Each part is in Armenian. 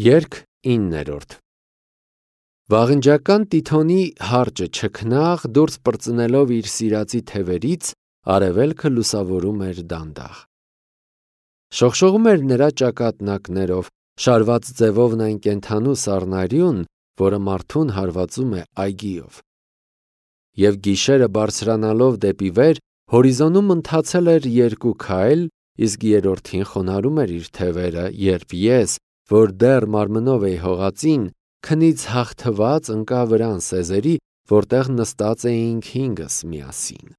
Երգ 9-րդ Վաղնջական Տիթոնի հարճը չքնաղ դուրս պրծնելով իր սիրածի թևերից արևելքը լուսավորում էր դանդաղ։ Շողշողում էր նրա ճակատնակներով, շարված ձևով այն կենդանու սառնարյուն, որը մարդուն հարվածում է այգիով։ Եվ գիշերը բարձրանալով դեպի վեր, հորիզոնում ընթացել էր 2 քայլ, իսկ երրորդին խոնարհում էր իր թևերը, երբ ես, որ դեռ մարմնով էի հողածին, քնից հաղթված ընկա վրան սեզերի, որտեղ նստած էինք 5-ս միասին։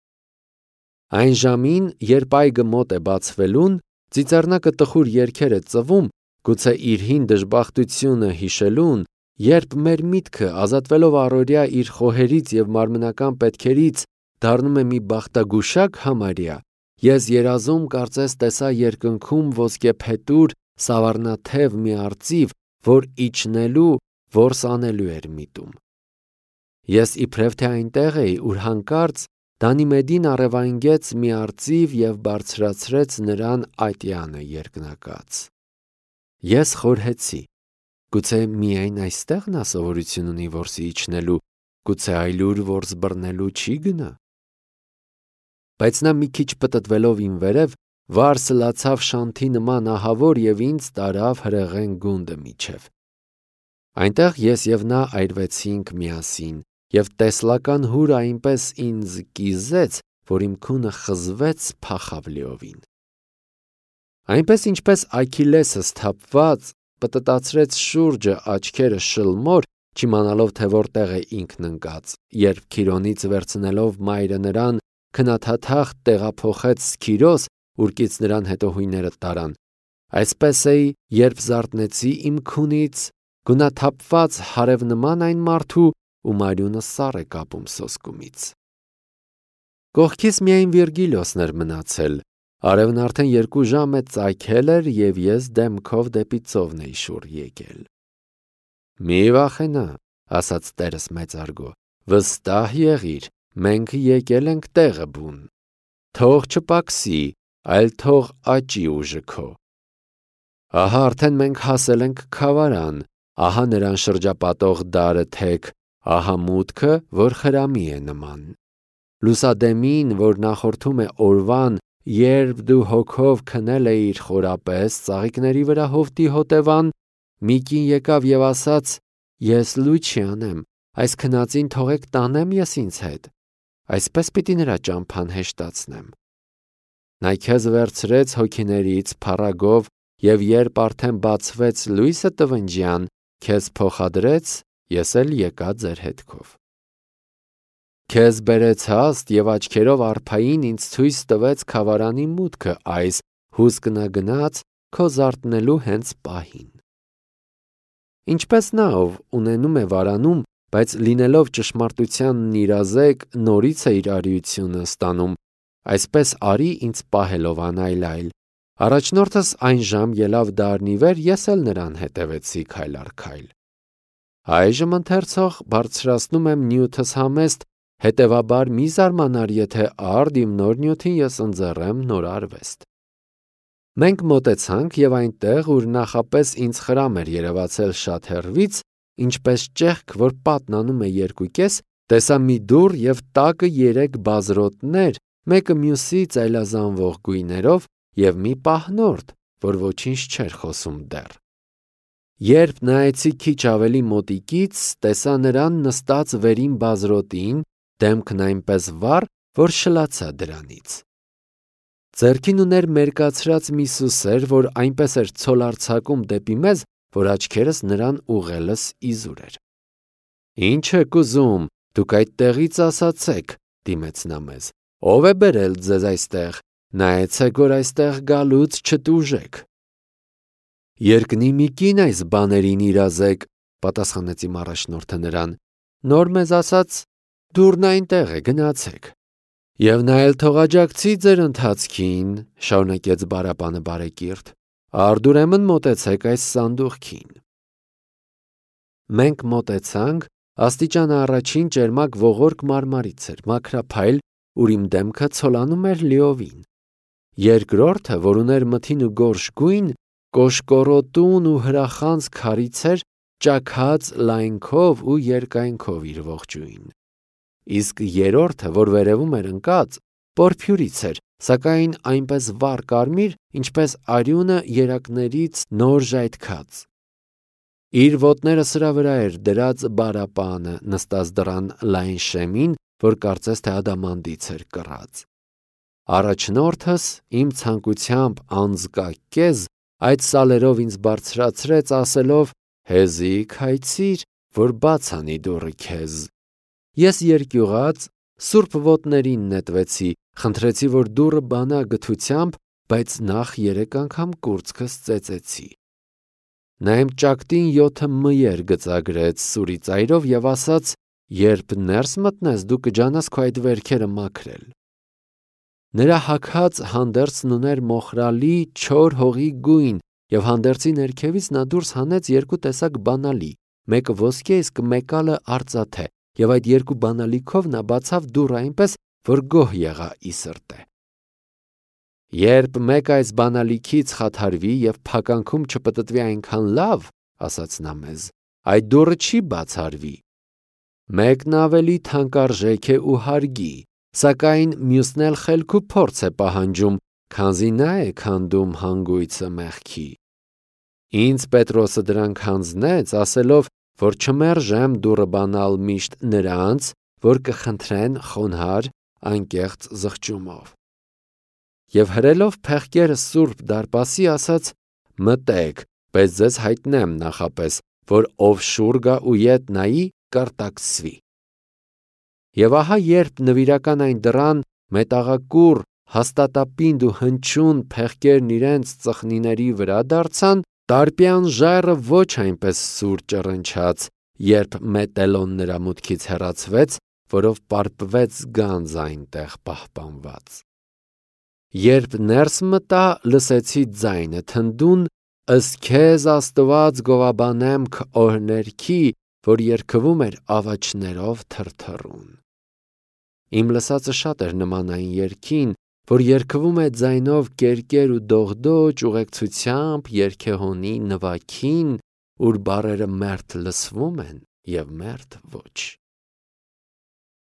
Այն ժամին, երբ այգը մոտ է բացվելուն, ծիծեռնակը տխուր երգեր է ծվում, գուցե իր հին դժբախտությունը հիշելուն, երբ մեր միտքը, ազատվելով առօրյա իր խոհերից և մարմնական պետքերից, դառնում է մի բախտագուշակ համարյա, ես երազում կարծես տեսա երկնքում ոսկեփետուր սավառնաթև մի արծիվ, որ իջնելու, որս անելու էր միտում։ Ես իբրև թե այնտեղ էի, ուր հանկարծ Դանիմեդին առևանգեց մի արծիվ և բարձրացրեց նրան ատյանը երկնակած։ Ես խորհեցի. գուցե միայն այստեղ նա սովորություն ունի որսի իջնելու, գուցե այլուր որս բռնելու չի գնա։ Բայց նա մի քիչ պտտվելով իմ վերև, վար սլացավ շանթի նման ահավոր և ինձ տարավ հրեղեն գունդը միջև։ Այնտեղ ես և նա այրվեցինք միասին, և տեսլական հուրը այնպես ինձ կիզեց, որ իմ քունը խզվեց փախավ լիովին։ Այնպես ինչպես Աքիլեսը սթափված պտտացրեց շուրջը աչքերը շլմոր, չիմանալով թե որտեղ է ինքն ընկած, երբ Քիրոնից վերցնելով մայրը նրան քնաթաթախ տեղափոխեց Սքիրոս, ուր կից նրան հետո հույները տարան, այսպես էի, երբ զարթնեցի իմ քունից, գունաթափված հարևնման այն մարդու, ում արյունը սառ է կապում սոսկումից։ Կողքիս միայն Վիրգիլիոսն էր մնացել, արևն արդեն 2 ժամ է ծագել էր և ես դեմքով դեպի ծովն էի շուռ եկել։ Մի վախենա, ասաց տերս մեծարգո, վստահ եղիր, մենք եկել ենք տեղը բուն, թող չպակսի, այլ թող աճի ուժը քո։ Ահա արդեն մենք հասել ենք Քավարան, ահա նրան շրջապատող դարը թեք, ահա մուտքը, որ խրամի է նման։ Լուսադեմին, որ նախորդում է օրվան, երբ դու հոգով քնել էիր խորապես ծաղիկների վրա հովտի հոտևան, մի կին եկավ և ասաց. ես լույս չի անեմ, այս քնածին թողեք տանեմ ես ինձ հետ, այսպես պիտի նրա ճամփան հեշտացնեմ։ Նա քեզ վերցրեց հոգիներից փառագով և երբ արդեն բացվեց լույսը տվնջյան, քեզ փոխադրեց, ես էլ եկա ձեր հետքով։ Քեզ բերեց հաստ և աչքերով արփային ինձ ցույց տվեց Քավարանի մուտքը այս հուսկնագնաց քո զարթնելու հենց պահին։ Ինչպես նա, ով ունենում է վարանում, բայց լինելով ճշմարտությանն իրազեկ, նորից է իր արիությունը ստանում, այսպես արի ինձ պահելով անայլ-այլ։ Առաջնորդս այն ժամ ելավ դարն ի վեր, ես էլ նրան հետևեցի քայլ առ քայլ։ Այժմ ընթերցող բարձրացնում եմ նյութս համեստ, հետևաբար մի զարմանար, եթե արդ իմ նոր նյութին ես ընձեռեմ նոր արվեստ։ Մենք մոտեցանք և այնտեղ, ուր նախապես ինձ խրամ էր երևացել շատ հեռվից, ինչպես ճեղք, որ պատն անում է 2 կես, տեսա մի դուռ և տակը 3 բազրոտներ, մեկը մյուսից այլազանվող գույներով և մի պահնորդ, որ ոչինչ չէր խոսում դեռ։ Երբ նայեցի քիչ ավելի մոտիկից, տեսա նրան նստած վերին բազրոտին, դեմքն այնպես վառ, որ շլացա դրանից։ Ձեռքին ուներ մերկացրած մի սուսեր, որ այնպես էր ցոլարձակում դեպի մեզ, որ աչքերս նրան ուղղելս իզուր էր։ Ինչ եք ուզում, դուք այդտեղից ասացեք, դիմեց նա մեզ, ով է բերել ձեզ այստեղ, նայեցեք, որ այստեղ գալուց չտուժեք։ Երկնի մի կին այս բաներին իրազեկ, պատասխանեց իմ առաջնորդը նրան, նոր մեզ ասաց. դուռն այնտեղ է, գնացեք։ Եվ նա էլ թող աջակցի ձեր ընթացքին, շարունակեց բարապանը բարեկիրթ, արդ ուրեմն մոտեցեք այս սանդուղքին։ Մենք մոտեցանք, աստիճանը առաջին ճերմակ ողորկ մարմարից էր, մաքրափայլ, ուր իմ դեմքը ցոլանում էր լիովին։ Երկրորդը, որ ուներ մթին ու գորշ գույն, կոշկորոտուն ու հրախանց քարից էր, ճաքած լայնքով ու երկայնքով իր ողջույն։ Իսկ երրորդը, որ վերևում էր ընկած, պորփյուրից էր, սակայն այնպես վառ կարմիր, ինչպես արյունը երակներից նոր ժայթքած։ Իր ոտները սրա վրա էր դրած բարապանը, նստած դռան լայն շեմին, որ կարծես թե ադամանդից էր կռած։ Առաջնորդս իմ ցանկությամբ անձկակեզ այդ սալերով ինձ բարձրացրեց, ասելով. «Հեզիք հայցիր, որ բաց անի դուռը քեզ»։ Ես երկյուղած սուրբ ոտներին նետվեցի, խնդրեցի, որ դուռը բանա գթությամբ, բայց նախ 3 անգամ կուրծքս ծեծեցի։ Նա իմ ճակտին 7 մյեր գծագրեց սուրի ծայրով և ասաց. «Երբ ներս մտնես, դու կջանաս քո այդ վերքերը մաքրել»։ Նրա հագած հանդերձն ուներ մոխրալի չոր հողի գույն, և հանդերձի ներքևից նա դուրս հանեց 2 տեսակ բանալի, մեկը ոսկե, իսկ մեկալը արծաթե, և այդ 2 բանալիքով նա բացավ դուռը այնպես, որ գոհ եղա ի սրտե։ «Երբ մեկ այս բանալիքից խաթարվի և փականքում չպտտվի այնքան լավ, — ասաց նա մեզ, — այդ դուռը չի բացարվի։ Մեկն ավելի թանկարժեք է ու հարգի, սակայն մյուսն էլ խելք ու փորձ է պահանջում, քանզի նա է քանդում հանգույցը մեղքի»։ Ինձ Պետրոսը դրանք հանձնեց, ասելով, որ չմերժեմ դուռը բանալ միշտ նրանց, որ կխնդրեն խոնարհ, անկեղծ զղջումով։ Եվ հրելով փեղկերս սուրբ դարպասի, ասաց. «Մտեք, բայց ձեզ հայտնեմ նախապես, որ ով շուռ գա ու ետ նայի, կարտաքսվի»։ Եվ ահա երբ նվիրական այն դռան մետաղակուռ, հաստատապինդ ու հնչյուն փեղկերն իրենց ծխնիների վրա դարձան, տարպյան ժայռը ոչ այնպես սուր ճռնչաց, երբ մետելոն նրա մուտքից հեռացվեց, որով պարպվեց գանձ այնտեղ պահպանված։ Երբ ներս մտա, լսեցի ձայնը թնդուն. «Ըստ քեզ Աստված գովաբանեմ քո օրհներքի, որ երգվում էր աղաչներով թրթռուն»։ Իմ լսածը շատ էր նման այն երգին, որ երգվում է ձայնով կերկեր ու դողդոջ ուղեկցությամբ երգեհոնի նվագին, ուր բառերը մերթ լսվում են և մերթ ոչ։